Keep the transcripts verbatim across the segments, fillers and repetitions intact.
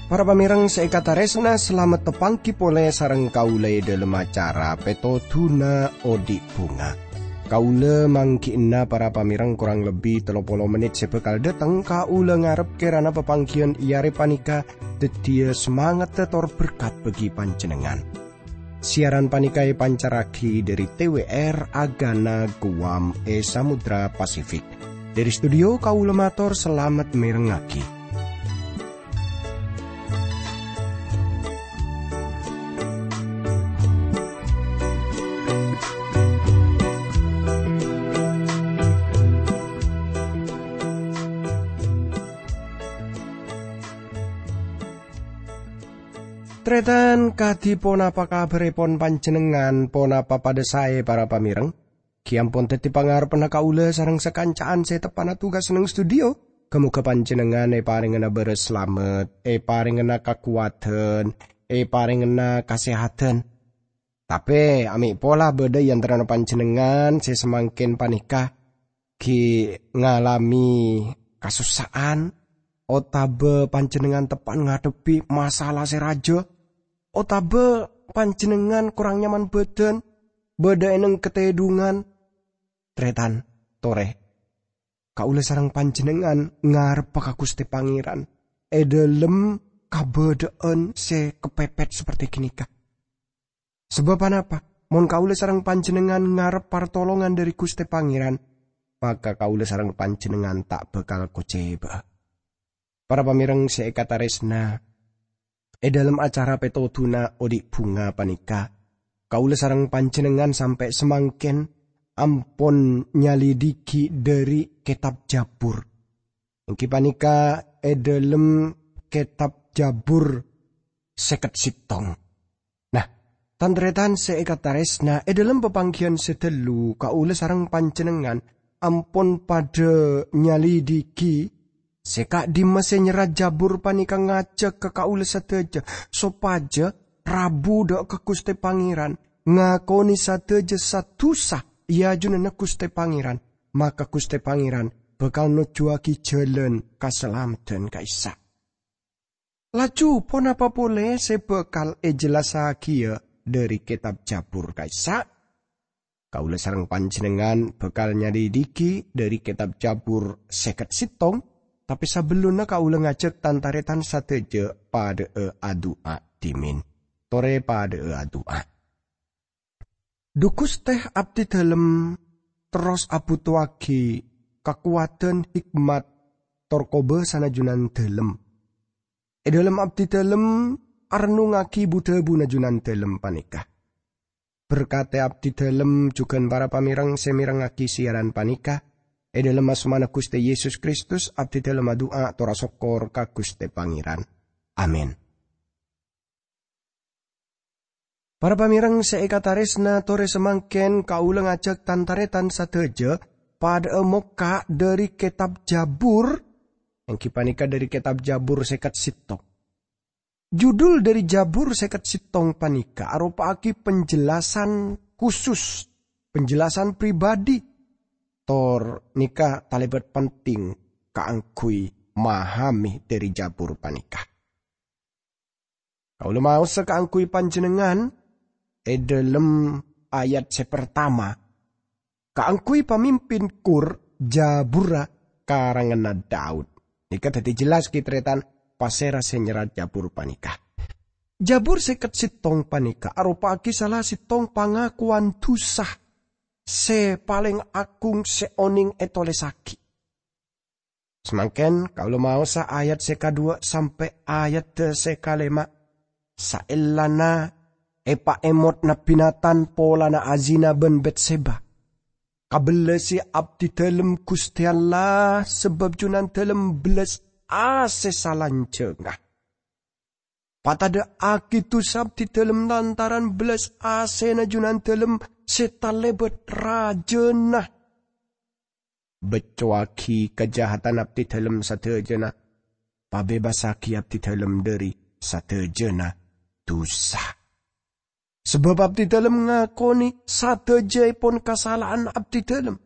Para pamèrèng sè èkatarèsna, salamet tapangghi polè sareng kaulâ è dhâlem acara Pètodhuna Odi' Bhunga. Kaulâ mangghi'na para pamèrèng korang lebbi tello polo mennit sè bhâkal dâteng. Kaulâ ngarep kèrana papangghiyân è arè panèka dhâddhiyâ samangaddhâ tor berkat bagi panjhennengngan. Siaran panèka èpancarraghi dhâri T W R Agana Guam è Samudra Pasifik. Dhâri studio kaulâ mator salamet mèrengngaghi. Tarètan, kadhi ponapa kabhârèpon panjhennengngan? Ponapa padâ saè, para pamèrèng? Ghi' ampon dhâddhi pangarebbhânna kaulâ sareng sakanca'an sè teppa'na tugas neng studio. Ghâ-moghâ panjhennengngan èparèngana bârâs salamet, èparèngana kakowadhân, èparèngana kasèhadhân. Tapè, amè' pola bâdâ è antarana panjhennengngan sè samangkèn panèka ghi' ngalamè kasossa'an, otabâ panjhennengngan teppa'na ngadhebbhi masalah sè rajâ, otabâ panjhennengngan korang nyaman bâdân, bâdâ è neng katèdhungan. Tarètan, torè, kaulâ sareng panjhennengngan ngarebba ka Ghustè Pangèran è dhâlem kabâdâ'ân sè kapèpèt saperte ghânèka. Sabâb ponapa? Mon kaulâ sareng panjhennengngan ngarep partolongan dhâri Ghustè Pangèran, maka kaulâ sareng panjhennengngan ta' bhâkal kocèbâ'â. Para pamèrèng sè èkatarèsna, è dhâlem acara Pètodhuna Odi' Bhunga panèka, kaulâ sareng panjhennengngan sampè' samangkèn ampon nyalidhighi dhâri Kètab Jabur. Èngghi panèka è dhâlem Kètab Jabur sèket sèttong. Nah, tan-tarètan sè èkatarèsna, è dhâlem papangghiyân sè ghâllu, kaulâ sareng panjhennengngan ampon padâ nyalidhighi sè ka'dimma sè nyerrat Jabur panèka ngajhâk ka kaulâ sadhâjâ sopajâ rabu dâ' ka Ghustè Pangèran, ngakonè sadhâjâ sa-, dhusa è ajunanna Ghustè Pangèran, maka Ghustè Pangèran bhâkal nojjhuwâghi jhâlân kasalameddhân ka'issa'. Laju, ponapa polè sè bhâkal èjellassaghiyâ dhâri Kètab Jabur ka'issa'? Kaulâ sareng panjhennengngan bhâkal nyalidhighi dhâri Kètab Jabur sèket sèttong, tapè sabellunna kaulâ ngajhâk tan-tarètan sadhâjâ padâ'â adu'a dhimèn. Torè padâ'â adu'a. Dhu Ghustè, abdhidhâlem terros abhutowaghi kakowadhân, hikmat, tor kobâsana Junandhâlem. È dhâlem abdhidhâlem arennungngaghi bu-dhâbuna Junandhâlem panèka. Berkatè abdhidhâlem jhughân para pamèrèng sè mèrengngaghi siaran panèka. È dhâlem asmana Ghustè Yesus Kristus, abdhidhâlem adu'a tor asokkor ka Ghustè Pangèran. Amin. Para pamèrèng sè èkatarèsna, torè samangkèn kaulâ ngajhâk tan-tarètan sadhâjâ padâ'â mokka' dhâri Kètab Jabur, èngghi panèka dhâri Kètab Jabur sèket sèttong. Judul dhâri Jabur sèket sèttong panèka aropa'aghi penjelasan khusus, penjelasan pribadi, tor nèka talèbât penting kaangghuy mahamè dhâri Jabur panèka. Kaulâ maosa kaangghuy panjhennengngan è dhâlem ayat sè partama, kaangghuy pamimpin kur Jaburra karanganna Daud. Nèka dhâddhi jellas, ghi, tarètan, pasèra sè nyerrat Jabur panèka. Jabur sèket sèttong panèka aropa'aghi sala sèttong pangakowan dhusa sè palèng agung sè onèng ètolèssaghi. Samangkèn kaulâ maosa ayat sè kadhuwâ' sampè' ayat sè kalèma'. Saellana èpaèmot Nabbhi Natan polana azina bân Batseba, kabellasè abdhidhâlem Ghustè Allah, sabâb Junandhâlem bellas asè salanjhângnga. Patadhâ'aghi dhusa abdhidhâlem lantaran bellas asèna Junandhâlem sè talèbât rajâna. Beccowaghi kajahatanna abdhidhâlem sadhâjâna, pabebasaghi abdhidhâlem dhâri sadhâjâna dusa. Sabâb abdidâlem ngakonè sadhâjâèpon kasala'an abdidâlem.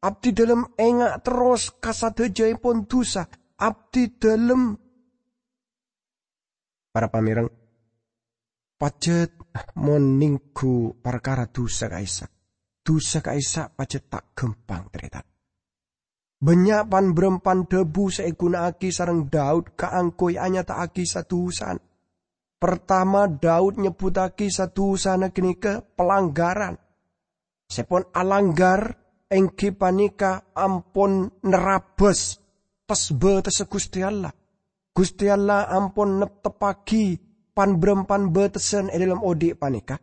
Abdidâlem enga' terros ka sadhâjâèpon dusa. Abdidâlem, para pamèreng, pajhât mon nèngghu parkara dusa ka'issa'. Dusa ka'issa' pajhât ta' ghâmpang, tarètan. Bânnya' pan-bârâmpan dhâbu sè èghuna'aghi sareng Daud kaangghuy anyata'aghi sa-dusana. Partama, Daud nyebbhuttaghi sa-dusana ghânèka palanggaran. Sè pon alanggar èngghi panèka ampon nerrabâs tes-bâtessa Ghustè Allah. Ghustè Allah ampon nepteppaghi pan-bârâmpan bâtesan è dâlem odi' panèka.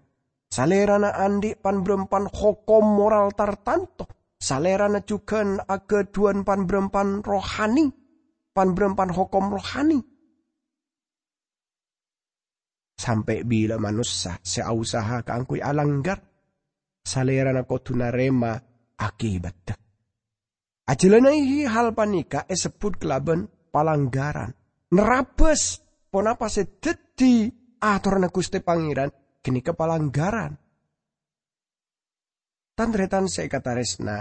Salèrana andi' pan-bârâmpan hokom moral tartanto. Salèrana jhughân aghâdhuwân pan-bârâmpan rohani, pan-bârâmpan hokom rohani. Sampè' bilâ manossa sè ausaha kaangghuy alanggar, salèrana kodhu narèma akibatta. Ajhâlânnaghi hal panèka èsebbhut kalabân palanggaran. Nerrabâs ponapa sè dhâddhi atoranna Ghustè Pangèran ghânèka palanggaran. Tan-tarètan sè èkatarèsna,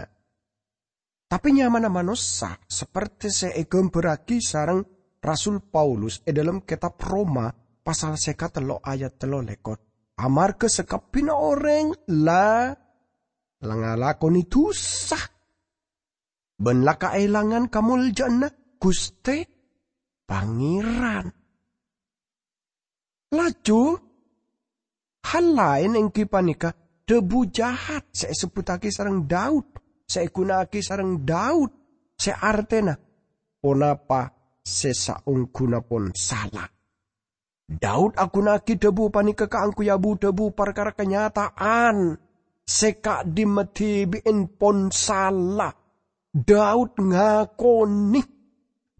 tapè nyamana manossa saperte sè èghâmbhârraghi sareng Rasul Paulus è dâlem kètab Roma pasal sèket tello' ayat tello lèkor, amarghâ sakabbhiyânna orèng la, la ngalakonè dusa, bân la kaèlangan kamoljâ'ânna Ghustè Pangèran. Laju, hal laèn èngghi panèka dhâbu jahat sè èsebbhuttaghi sareng Daud, sè èghuna'aghi sareng Daud, sè artèna, "Ponapa sè saongghuna pon sala." Daud aghuna'aghi dhâbu panèka kaangghuy abu-dhâbu parkara kanyata'an sè ka'dimma dhibi'en pon sala. Daud ngakonè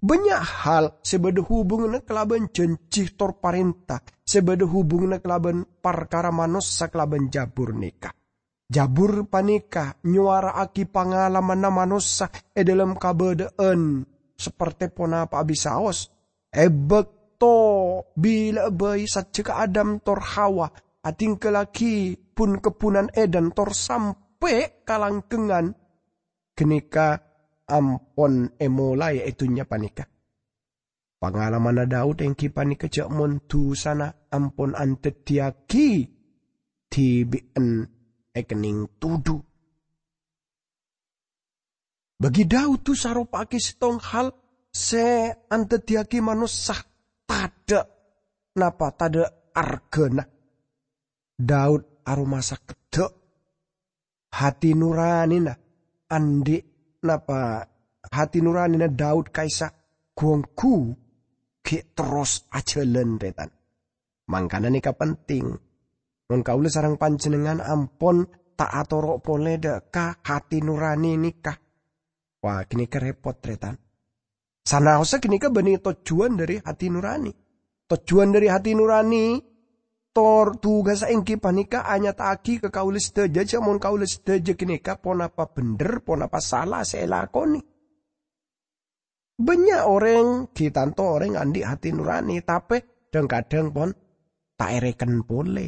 bânnya' hal sè bâdâ hubunganna kalabân janji tor parènta, sè bâdâ hubunganna kalabân parkara manossa kalabân jabur nèka. Jabur panèka nyowara'aghi pangalamanna manossa è dâlem kabâdâ'ân saperte ponapa abisaos. È bâkto bilâ bhâi sajjhegghâ Adam tor Hawa adhinggâllaghi bun-kebbhunan Eden tor sampè' ka langghângan, ghânèka ampon èmolaè è dhunnya panèka. Pangalamanna Daud èngghi panèka jhâ' mon dusana ampon andhâddhiyâghi dhibi'en èkennèng tudhu. Bagi Daud dusa aropa'aghi sèttong hal sè andhâddhiyâghi manossa tadâ' napa tadâ' arghâna. Daud aromasa keddhâ'. Hati nuranina andi' napa hati nuranina Daud ka'issa' ghu-ongghu ghi' terros ajhâlân, tarètan. Mangkana nèka penting. Mon kaulâ sareng panjhennengngan ampon ta' atoro' polè dâ' ka hati nurani nèka. Wah, ghânèka repot, tarètan. Sanaossa ghânèka bânnè tojjhuwân dhâri hati nurani. Tojjhuwân dhâri hati nurani, tor tugassa èngghi panèka anyata'aghi ka kaulâ sadhâjâ, jhâ' mon kaulâ sadhâjâ ghânèka ponapa bhendher, ponapa sala sè èlakonè. Bânnya' orèng, ghi' tanto orèng andi' hati nurani, tapè dhâng-kadhâng pon ta' èrèken polè.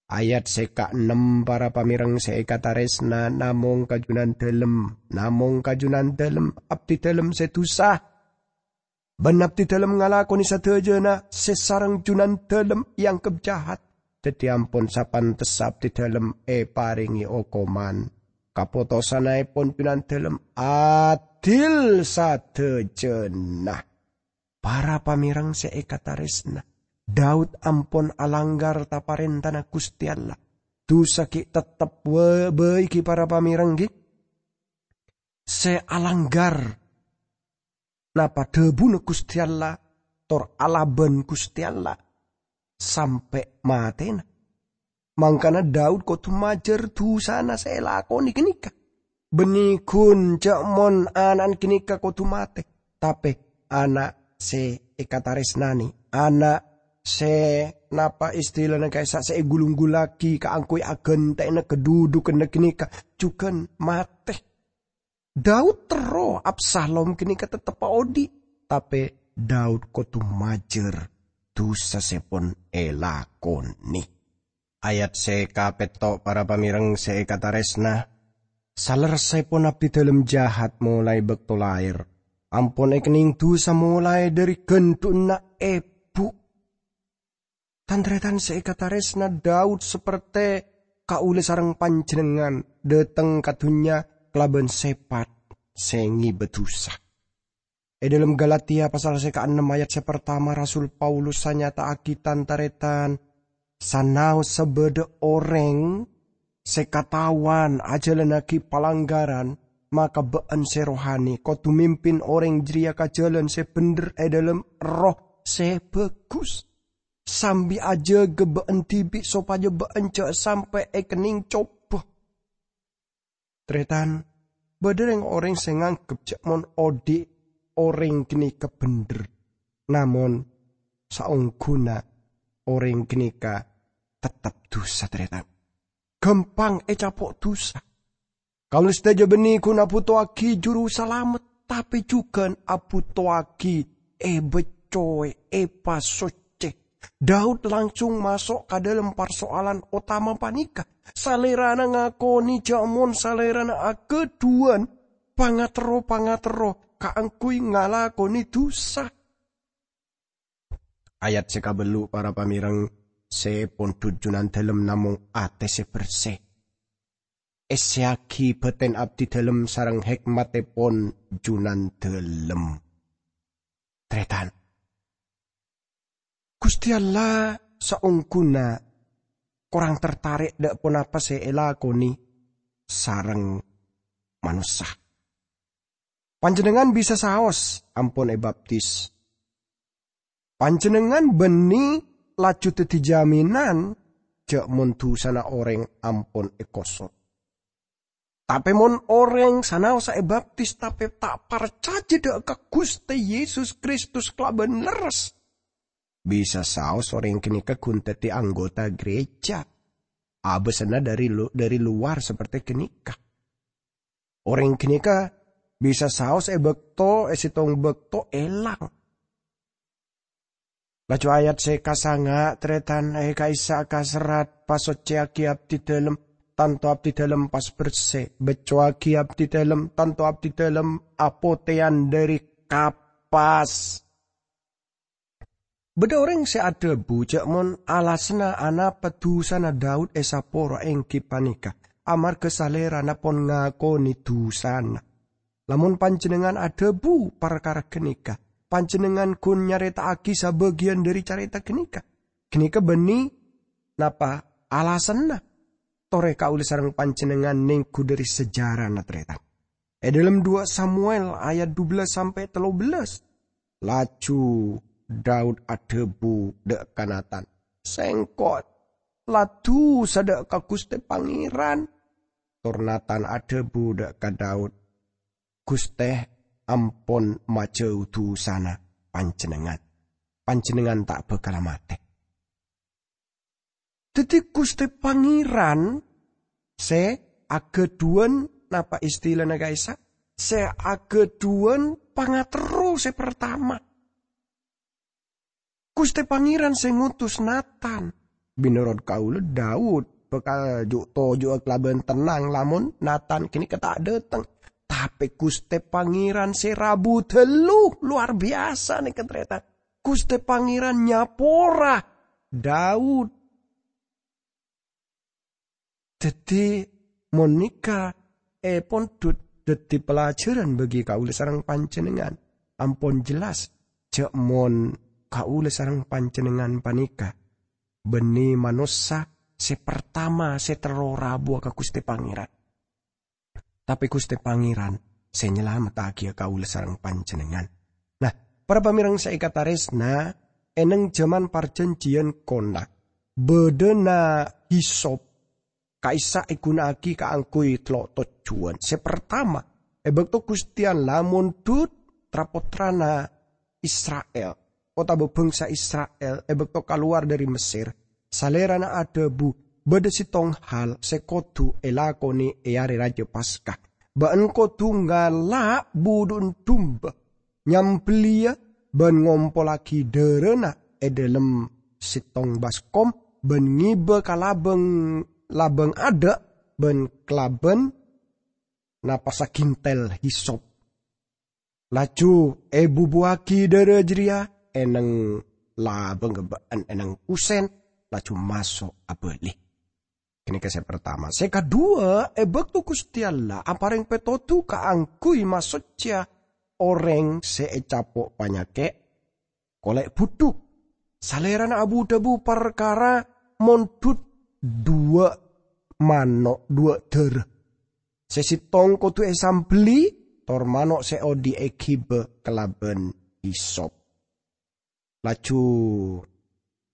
Ayat sè kaennem, para pamèreng sè èkatarèsna, namong ka Junandalem, namong ka Junandalem, abdidalem sè dusa. Bân abdidalem ngalakonè sadhâjâna sè sareng Junandalem èangghep jahat. Dhâddhi ampon sapantessa abdidalem èparèngè okoman. Kapotosannaèpon Junandalem adil sadhâjâna. Para pamèreng sè èkatarèsna, Daud ampon alanggar ta-parèntana Ghustè Allah. Dusa ghi' tettep wa-, bhâi ghi' para pamèreng ghi' sè alanggar napa dhâbuna Ghustè Allah, tor alabân Ghustè Allah sampè' matèna. Mangkana Daud kodhu majâr dusana sè èlakonè ghânèka. Bânnè ghun jhâ' mon ana'na ghânèka kodhu matè, tapè ana' sè èkatarèsnanè, ana' sè napa istilana ka'issa' sè ègulung-gulungngaghi kaangghuy aghântè'na kadhudhughânna ghânèka jhughân matè. Daud terro Absalom ghânèka tetteppa odhi', tapè Daud kodhu majâr dhusa sè pon èlakonè. Ayat sè kapètto', para pamèreng sè èkatarèsna, salerressèpon abdidhâlem jahat molaè bâkto laèr, ampon èkennèng dhusa molaè dhâri ghândhu'na èbhu. Tan-tarètan sè èkatarèsna, Daud saperte kaulâ sareng panjhennengngan dhâteng ka dhunnya kalabân sèpat sè ngibâ dhusa. È dhâlem Galatia pasal sè kaennem ayat sè partama, Rasul Paulus anyata'aghi, "Tan-tarètan, sanaossa bâdâ orèng sè kataowan ajhâlannaghi palanggaran, maka bâ'ân sè rohani kodhu mimpin orèng jârèya ka jhâlân sè bhendher è dhâlem erroh sè bhâghus, sambi ajâgâ bâ'ân dhibi' sopajâ bâ'ân jhâ' sampè' èkennèng cobâ." Tarètan, bâdâ rèng-orèng sè nganggep jhâ' mon odi' orèng ghânèka bhendher, namong saongghuna orèng ghânèka tettep dhusa, tarètan. Ghâmpang ècapo' dhusa. Kaulâ sadhâjâ bânnè ghun abhutowaghi Jurusalamet, tapè jhughân abhutowaghi èbâccoè, èpasoccè. Daud langsung maso' ka dhâlem parsoalan otama panèka. Salèrana ngakonè jhâ' mon salèrana aghâdhuwân pangaterro-pangaterro kaangghuy ngalakonè dhusa. Ayat sè kabellu', para pamèreng, sè pondhut Junandalem namong atè sè bersè. Èssèyaghi bâten abdidalem sareng hèkmattèpon Junandalem. Tarètan. Ghustè Allah saongghuna korang tertarè' dâ' ponapa sè èlakonè sareng manossa. Panjhennengngan bisa saos ampon èbaptis. Panjhennengngan bânnè laju dhâddhi jaminan jhâ' mon dhusana orèng ampon èkoso'. Tapè mon orèng sanaossa èbaptis tapè ta' parcajâ dâ' ka Ghustè Yesus Kristus kalabân lerres, bisa saos orèng ghânèka ghun dhâddhi anggota gereja, abâsana dhâri lu-, dhâri lowar saperte ghânèka. Orèng ghânèka bisa saos è bâkto, è sèttong bâkto èlang. Laju ayat sè kasanga', tarètan, è ka'issa' kaserrat, "Pasoccèyaghi abdidalem, tanto abdidalem pas bersè. Bâccoaghi abdidalem, tanto abdidalem apotèyan dhâri kapas." Bâdâ orèng sè adhâbu jhâ' mon alasanna anapa dhusana Daud èsapora èngghi panèka amarghâ salèrana pon ngakonè dhusana. Lamon panjhennengngan adhâbu parkara ghânèka, panjhennengngan ghun nyarèta'aghi sabâgiyân dhâri carèta ghânèka. Ghânèka bânnè napa alasanna? Torè kaulâ sareng panjhennengngan nèngghu dhâri sejarana, tarètan. È dhâlem dua Samuel ayat dubellâs sampè' tello bellâs, laju Daud adhâbu dâ' ka Natan, "Sèngko' la dhusa dâ' ka Ghustè Pangèran." Tor Natan adhâbu dâ' ka Daud, "Ghustè ampon majâu dhusana panjhennengngan. Panjhennengngan ta' bhâkal matè." Dhâddhi Ghustè Pangèran sè aghâdhuwân, napa istilana ka'issa'? Sè aghâdhuwân pangaterro sè partama. Ghustè Pangèran sè ngutus Natan. Mènorot kaulâ, Daud bhâkal ju'-toju'â kalabân tennang lamon Natan ghânèka ta' dâteng. Tapè Ghustè Pangèran sè rabu dâllu, lowar biyasa nèka, tarètan. Ghustè Pangèran nyapora Daud. Dhâddhi, mon nèka èpondhut dhâddhi pelajaran bagi kaulâ sareng panjhennengngan, ampon jelas jhâ' mon kaulâ sareng panjhennengngan panèka bânnè manossa sè partama sè terro rabuwâ ka Ghustè Pangèran. Tapè Ghustè Pangèran sè nyalamettaghi kaulâ sareng panjhennengngan. Nah, para pamèreng sè èkatarèsna, è neng jhâman Parjhânjhiyân Kona, bâdâna hisop ka'issa' èghuna'aghi kaangghuy tello' tojjhuwân. Sè partama, è bâkto Ghustè Allah mondhut tra-pottrana Isra'il, otabâ bhângsa Isra'il è bâkto kalowar dhâri Messèr, Salèrana adhâbu, "Bâdâ sèttong hal sè kodhu èlakonè è Arè Rajâ Paska. Bâ'ân kodhu ngala' budhu'na dumba, nyambelliyâ bân ngompollaghi dhârâna è dhâlem sèttong baskom bân ngèbâ ka labâng, labâng adâ' bân kalabân napasa ghintèl hisop. Laju èbubuwâghi dârâ jârèya è nèng labângnga bâ'ân è nèng kusèn, laju maso' abâli. Ghânèka sè partama. Sè kaduwâ, è bâkto Ghustè Allah aparèng pètodhu kaangghuy masoccèya orèng sè ècapo' panyakè', kolè' budhu. Salèrana abu-dhâbu parkara mondhut duwâ' mano', duwâ' dârâ. Sè sèttong kodhu èsambelli, tor mano' sè odi' èghibâ kalabân hisop. Laju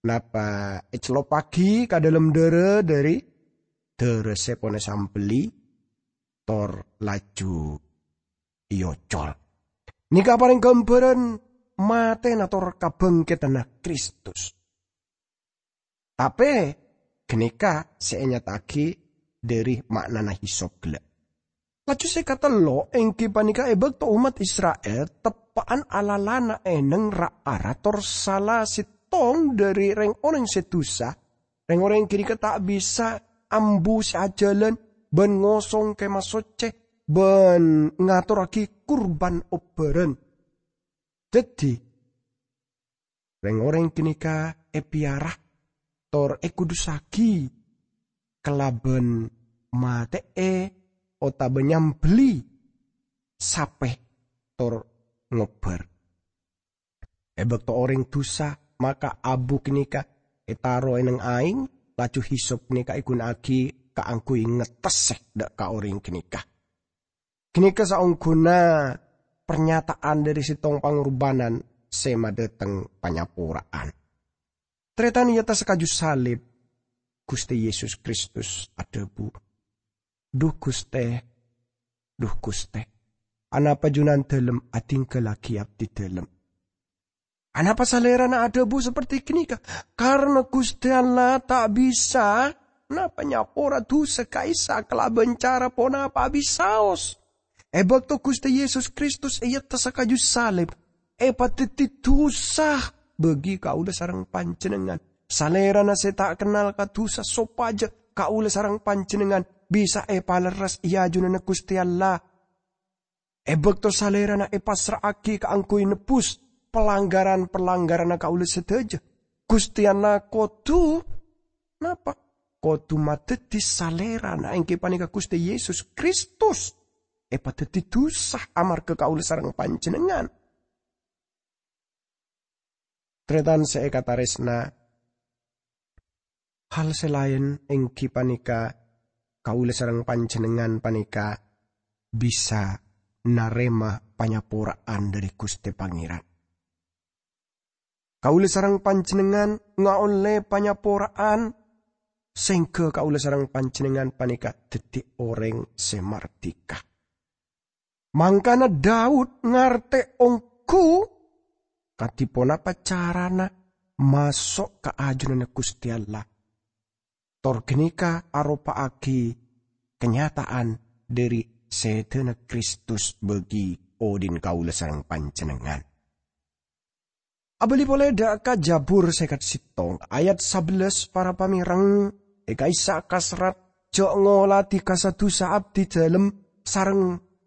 napa ècelloppaghi ka dhâlem dârâ, dâri dârâ sè pon èsambelli, tor laju èocol. Nèka aparèng ghâmbhârân matèna tor kabhângkèdhânna Kristus. Tapè ghânèka sè ènyata'aghi dâri ma'nana hisop ghellâ'. Laju sè katello' èngghi panèka è bâkto ommat Isra'il teppa'an alalana è nèng ra-ara tor sala sèttong dâri rèng-orèng sè dhusa, rèng-orèng ghânèka ta' bisa ambu sè ajhâlân bân ngosong Kèmah Soccè bân ngatorraghi kurban obbhârân. Dhâddhi, rèng-orèng ghânèka èpèyara tor èkudusaghi kalabân matè'è otabâ nyambelli sapè tor ngobbhâr. È bâkto orèng dhusa maka abu ghânèka ètaro è nèng aèng, laju hisop ghânèka èghuna'aghi kaangghuy ngettessè dâ' ka orèng ghânèka. Ghânèka saongghuna parnyata'an dâri sèttong pangorbhânan sè madhâteng panyapora'an. Tarètan è attas kaju salib, Ghustè Yesus Kristus adhâbu, "Dhu Ghustè, dhu Ghustè, anapa Junandhâlem adhinggâllaghi abdhidhâlem?" Anapa Salèrana adhâbu saperti ghânèka? Karna Ghustè Allah ta' bisa napa nyapora dhusa ka'issa' kalabân cara ponapa abisaos. È bâkto Ghustè Yesus Kristus èattas kaju salib, èpadhâddhi dhusa bagi kaulâ sareng panjhennengngan. Salèrana sè ta' kennal ka dhusa sopajâ kaulâ sareng panjhennengngan bisa èpalerres è ajunanna Ghustè Allah. È bâkto Salèrana èpassra'aghi kaangghuy nebbhus palanggaran-palanggaranna kaulâ sadhâjâ, Ghustè Allah kodhu napa? Kodhu madhâddhi Salèrana, èngghi panèka Ghustè Yesus Kristus, èpadhâddhi dhusa amarghâ kaulâ sareng panjhennengngan. Tarètan sè èkatarèsna, hal sè laèn èngghi panèka kaulâ sareng panjhennengngan panèka bisa narèma panyapora'an dâri Ghustè Pangèran. Kaulâ sareng panjhennengngan ngaollè panyapora'an, sèngghâ kaulâ sareng panjhennengngan panèka dhâddhi orèng sè mardhika. Mangkana Daud ngartè ongghu kadhi ponapa carana maso' ka ajunanna Ghustè Allah. Tor ghânèka aropa'aghi kanyata'an dâri sèdhâna Kristus bagi odi'na kaulâ sareng panjhennengngan. Abâli polè dâ' ka Jabur sèket sèttong, ayat sabellâs, para pamèreng, è ka'issa' kaserrat, "Jhâ' ngoladhi kasa dhusa abdhidhâlem sareng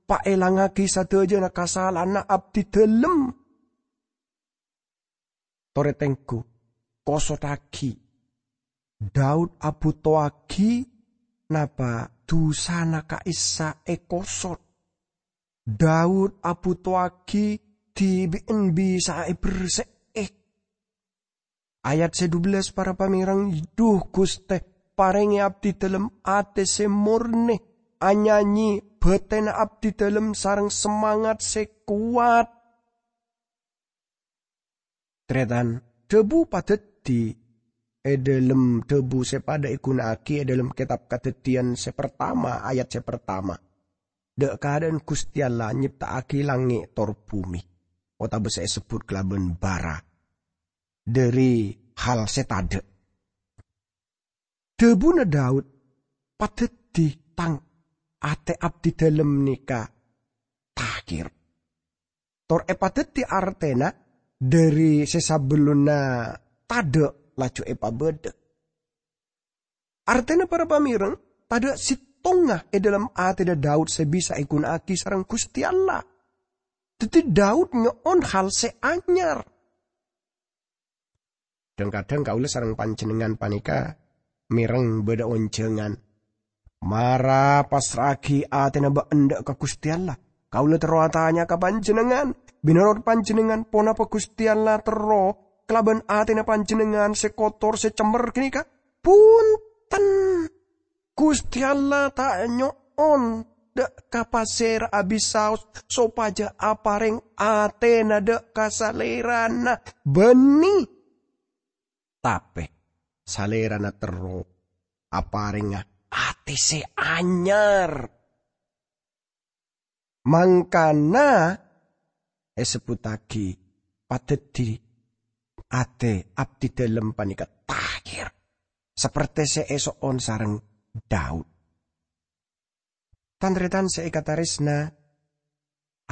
paèlangngaghi sadhâjâna kasala'anna abdhidhâlem." Torè tengghu, kosottaghi. Daud abhutowaghi napa dhusana ka'issa' èkosot. Daud abhutowaghi dhibi'en bisa'a èbersè'è. Ayat sè dubellâs, para pamèreng, "Dhu Ghustè, parèngè abdhidhâlem atè sè mornè, anyanyi bâtèna abdhidhâlem sareng samangat sè kowat." Tarètan, dhâbu padhâddhi è dhâlem dhâbu sè padâ èghuna'aghi è dhâlem Kètab Kadhâddhiyân sè partama, ayat sè partama. Dâ' kaadâ'ân Ghustè Allah nyepta'aghi langngè' tor bhumè, otabâ sè èsebbhut kalabân bârâ, dâri hal sè tadâ'. Dhâbuna Daud, "Padhâddhi tang atè abdhidhâlem nèka tahir." Tor èpadhâddhi artèna dâri sè sabellunna tadhâ' laju èpabâdâ. Artèna para pamèreng, tadhâ' sèttonga è dhâlem atèna Daud sè bisa èghuna'aghi sareng Ghustè Allah. Dhâddhi Daud nyo'on hal sè anyar. Dhâng-kadhâng kaulâ sareng panjhennengngan panèka mèreng bâdâ onjhângan. Mara passra'aghi atèna bâ'na dâ' ka Ghustè Allah. Kaulâ terro atanya ka panjhennengngan, binonorot panjhennengngan ponapa Ghustè Allah terro kalabân atèna panjhennengngan sè kotor, sè cemmer ghânèka? Bhunten! Ghustè Allah ta' nyo'on dâ' ka pasèra abis saos sopajâ aparèng atèna dâ' ka Salèrana bânnè. Tapè Salèrana terro aparèngnga atè sè anyar. Mangkana èsebbhuttaghi padhâddhi atè abdidhâlem panèka tahir, sapertè sè èso'on sareng Daud. Tan-tarètan sè èkatarèsna,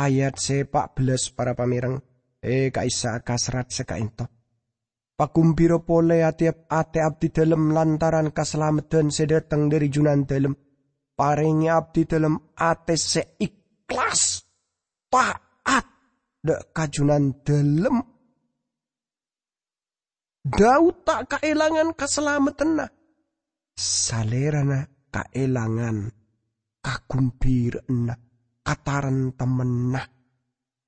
ayat sè pa' bellâs para pamèreng, è, ka'issa' ka serrat sè ka'ènto. Paghun bhira polè atè, atè abdidhâlem lantaran kasalameddhân sè dâteng dhâri Junandhâlem. Parèngè abdidhâlem atè sè ikhlas, taat dâ' ka Junandhâlem. Daud ta' kaèlangan kasalameddhânna. Salèrana kaèlangan kaghun bhira'anna, katarèmtemmanna,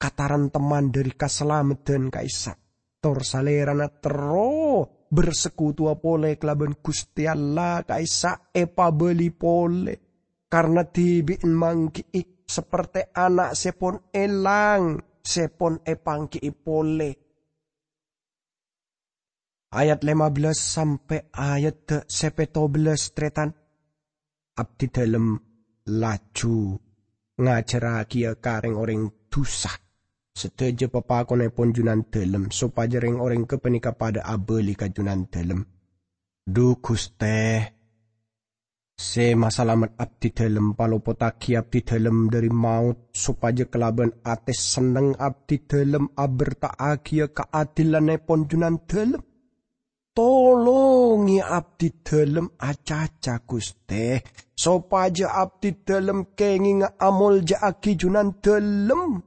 katarèmtemman dhâri kasalameddhân ka'issa'. Tor Salèrana terro bersekutuwa polè kalabân Ghustè Allah ka'issa' èpabâli polè. Karna dhibi'en mangghi'i sapertè ana' sè pon èlang, sè pon èpangghi'i polè. Ayat lèma bellâs sampè' ayat sè pètto bellâs, tarètan. Abdidhâlem laju ngajhârrâghiyâ ka rèng-orèng dhusa sadhâjâ papakonnèpon Junandhâlem, sopajâ rèng-orèng ghâpanèka padâ abâli ka Junandhâlem. Dhu Ghustè, sè masalamet abdidhâlem, palopottaghi abdidhâlem dhâri maot, sopajâ kalabân atè senneng abdidhâlem aberta'aghiyâ kaadillannèpon Junandhâlem. Tolongè abdidhâlem acaca, Ghustè, sopajâ abdidhâlem kèngèngnga amolja'aghi Junandhâlem.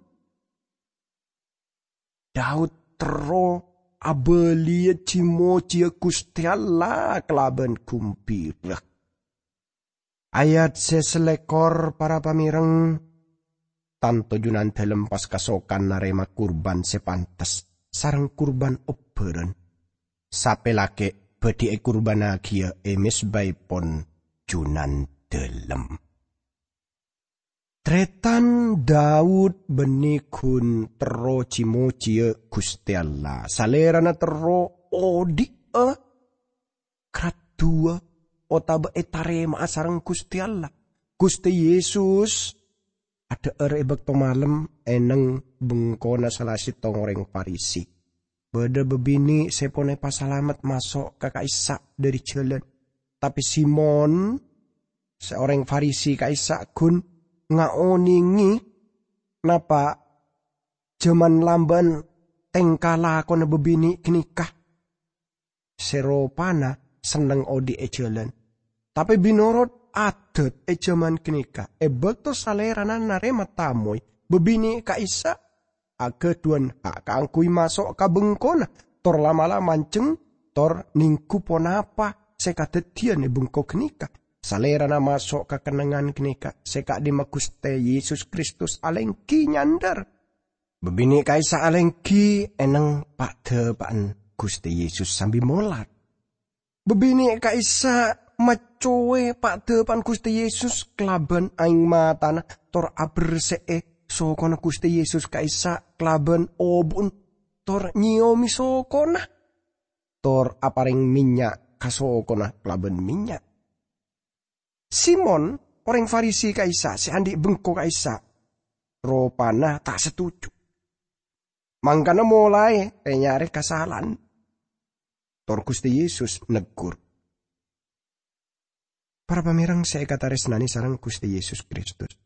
Daud terro abâliyâ ji-mojiyâ Ghustè Allah kalabân ghumbhira. Ayat sè salèkor, para pamèreng, tanto Junandhâlem pas kasokan narèma kurban sè pantes sareng kurban obbhârân. Sapè lakè' bhâdhi èkurbânaghiyâ è mezbaèpon Junandhâlem. Tarètan, Daud bânnè ghun terro ji-mojiyâ Ghustè Allah. Salèrana terro odi'â, graddhuwâ, otabâ ètarèma'a sareng Ghustè Allah. Ghustè Yesus adhâ'âr è bâkto malem è neng bengkona sala sèttong orèng Farisi. Bâdâ bâbinè' sè pon èpasalamet maso' ka ka'issa' dhâri jhâlân. Tapè Simon, sè orèng Farisi ka'issa' ghun ngaonèngè napa' jhâman lambâ'ân tèngka lakona bâbinè' ghânèka sè ropana senneng odi' è jhâlân. Tapè binorot adat è jhâman ghânèka, è bâkto salèrana narèma tamoy, bâbinè' ka'issa' aghâdhuwân ha' kaangghuy maso' ka bengkona, tor la'-mala' manjheng, tor nèngghu ponapa sè kadhâddhiyân è bengko ghânèka. Salèrana maso' ka kennengngan ghânèka sè ka'dimma Ghustè Yesus Kristus alèngghi nyandhâr. Bâbinè' ka'issa' alèngghi è neng pa'-dhâpa'an Ghustè Yesus sambi molar. Bâbinè' ka'issa' maccowè pa'-dhâpa'an Ghustè Yesus kalabân aèng matana, tor aberse'è sokona Ghustè Yesus ka'issa' kalabân obu'en, tor nyèyomè sokona, tor aparèng mènnya' ka sokona kalabân mènnya'. Simon, orèng Farisi ka'issa' sè andi' bengko ka'issa', ropana ta' setuju. Mangkana molaè rè-nyarè kasala'an. Tor Ghustè Yesus neggur. Para pamèreng sè èkatarèsnanè sareng Ghustè Yesus Kristus,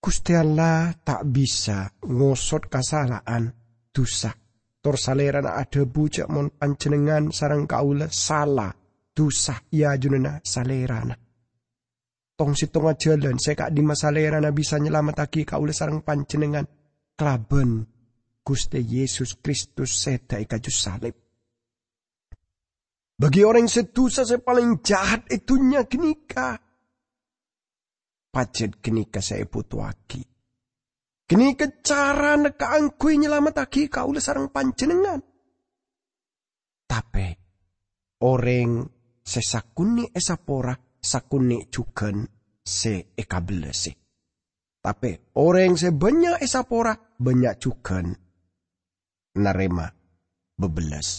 Ghustè Allah ta' bisa ngosot kasala'an, dhusa, Tor Salèrana adhâbu jhâ' mon panjhennengngan sareng kaulâ sala, dhusa è ajunanna Salèrana. Tong-settongnga jhâlân sè ka'dimma Salèrana bisa nyalamettaghi kaulâ sareng panjhennengngan kalabân Ghustè Yesus Kristus sèdhâ è kaju salib. Bagi orèng sè dhusa sè palèng jahat è dhunnya ghânèka, pajhât ghânèka sè èbhutoaghi. Ghânèka carana kaangghuy nyalamettaghi kaulâ sareng panjhennengngan. Tapè orèng sè sakonè' èsapora, sakonè' jhughân sè èkabellâsè. Tapè orèng sè bânnya' èsapora, bânnya' jhughân narèma bâbellâs.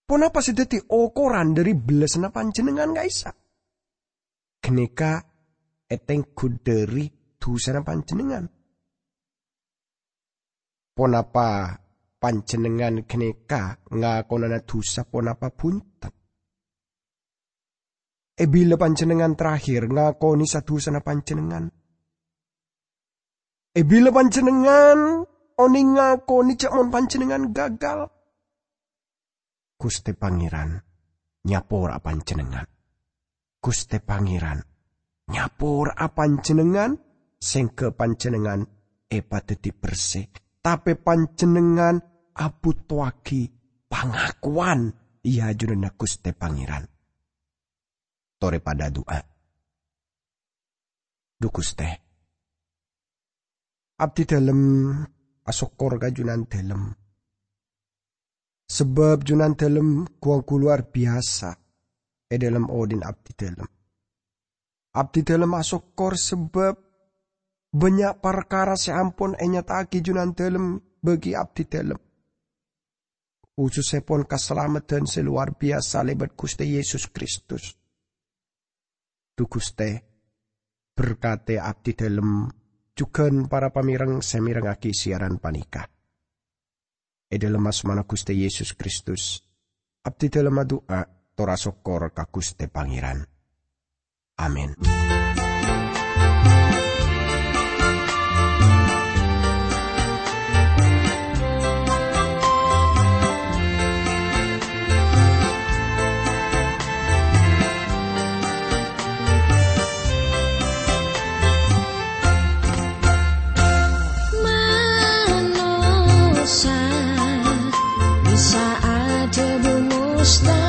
Ponapa sè dhâddhi okoran dhâri bellâsânna panjhennengngan ka'issa'? Ghânèka ètèngghu dhâri dhusana panjhennengngan. Ponapa panjhennengngan ghânèka ngakonana dhusa ponapa bhunten? È bilâ panjhennengngan terakhir ngakonè sa-dhusana panjhennengngan? È bilâ panjhennengngan onèng ngakonè jhâ' mon panjhennengngan gagal? Ghustè Pangèran nyapora'a panjhennengngan. Ghustè Pangèran nyapora'a panjhennengngan, sèngghâ panjhennengngan èpadhâddhi bersè, tapè panjhennengngan abhutoaghi pangakowan è ajunanna Ghustè Pangèran. Torè padâ adu'a. Dhu Ghustè, abdhidhâlem asokkor ka Junandhâlem, sabâb Junandhâlem ghu-ongghu lowar biyasa è dhâlem odhi'na abdhidhâlem. Abdhidhâlem asokkor sabâb bânnya' parkara sè ampon ènyata'aghi Junandhâlem bagi abdhidhâlem, khusussèpon kasalameddhân sè lowar biyasa lèbât Ghustè Yesus Kristus. Dhu Ghustè, berkatè abdhidhâlem jhughân para pamèreng sè mèrengngaghi siyaran panèka. È dhâlem asmana Ghustè Yesus Kristus, abdhidhâlem adu'a tor asokkor ka Ghustè Pangèran. Amin. Manossa bisa adhâbu mustahil.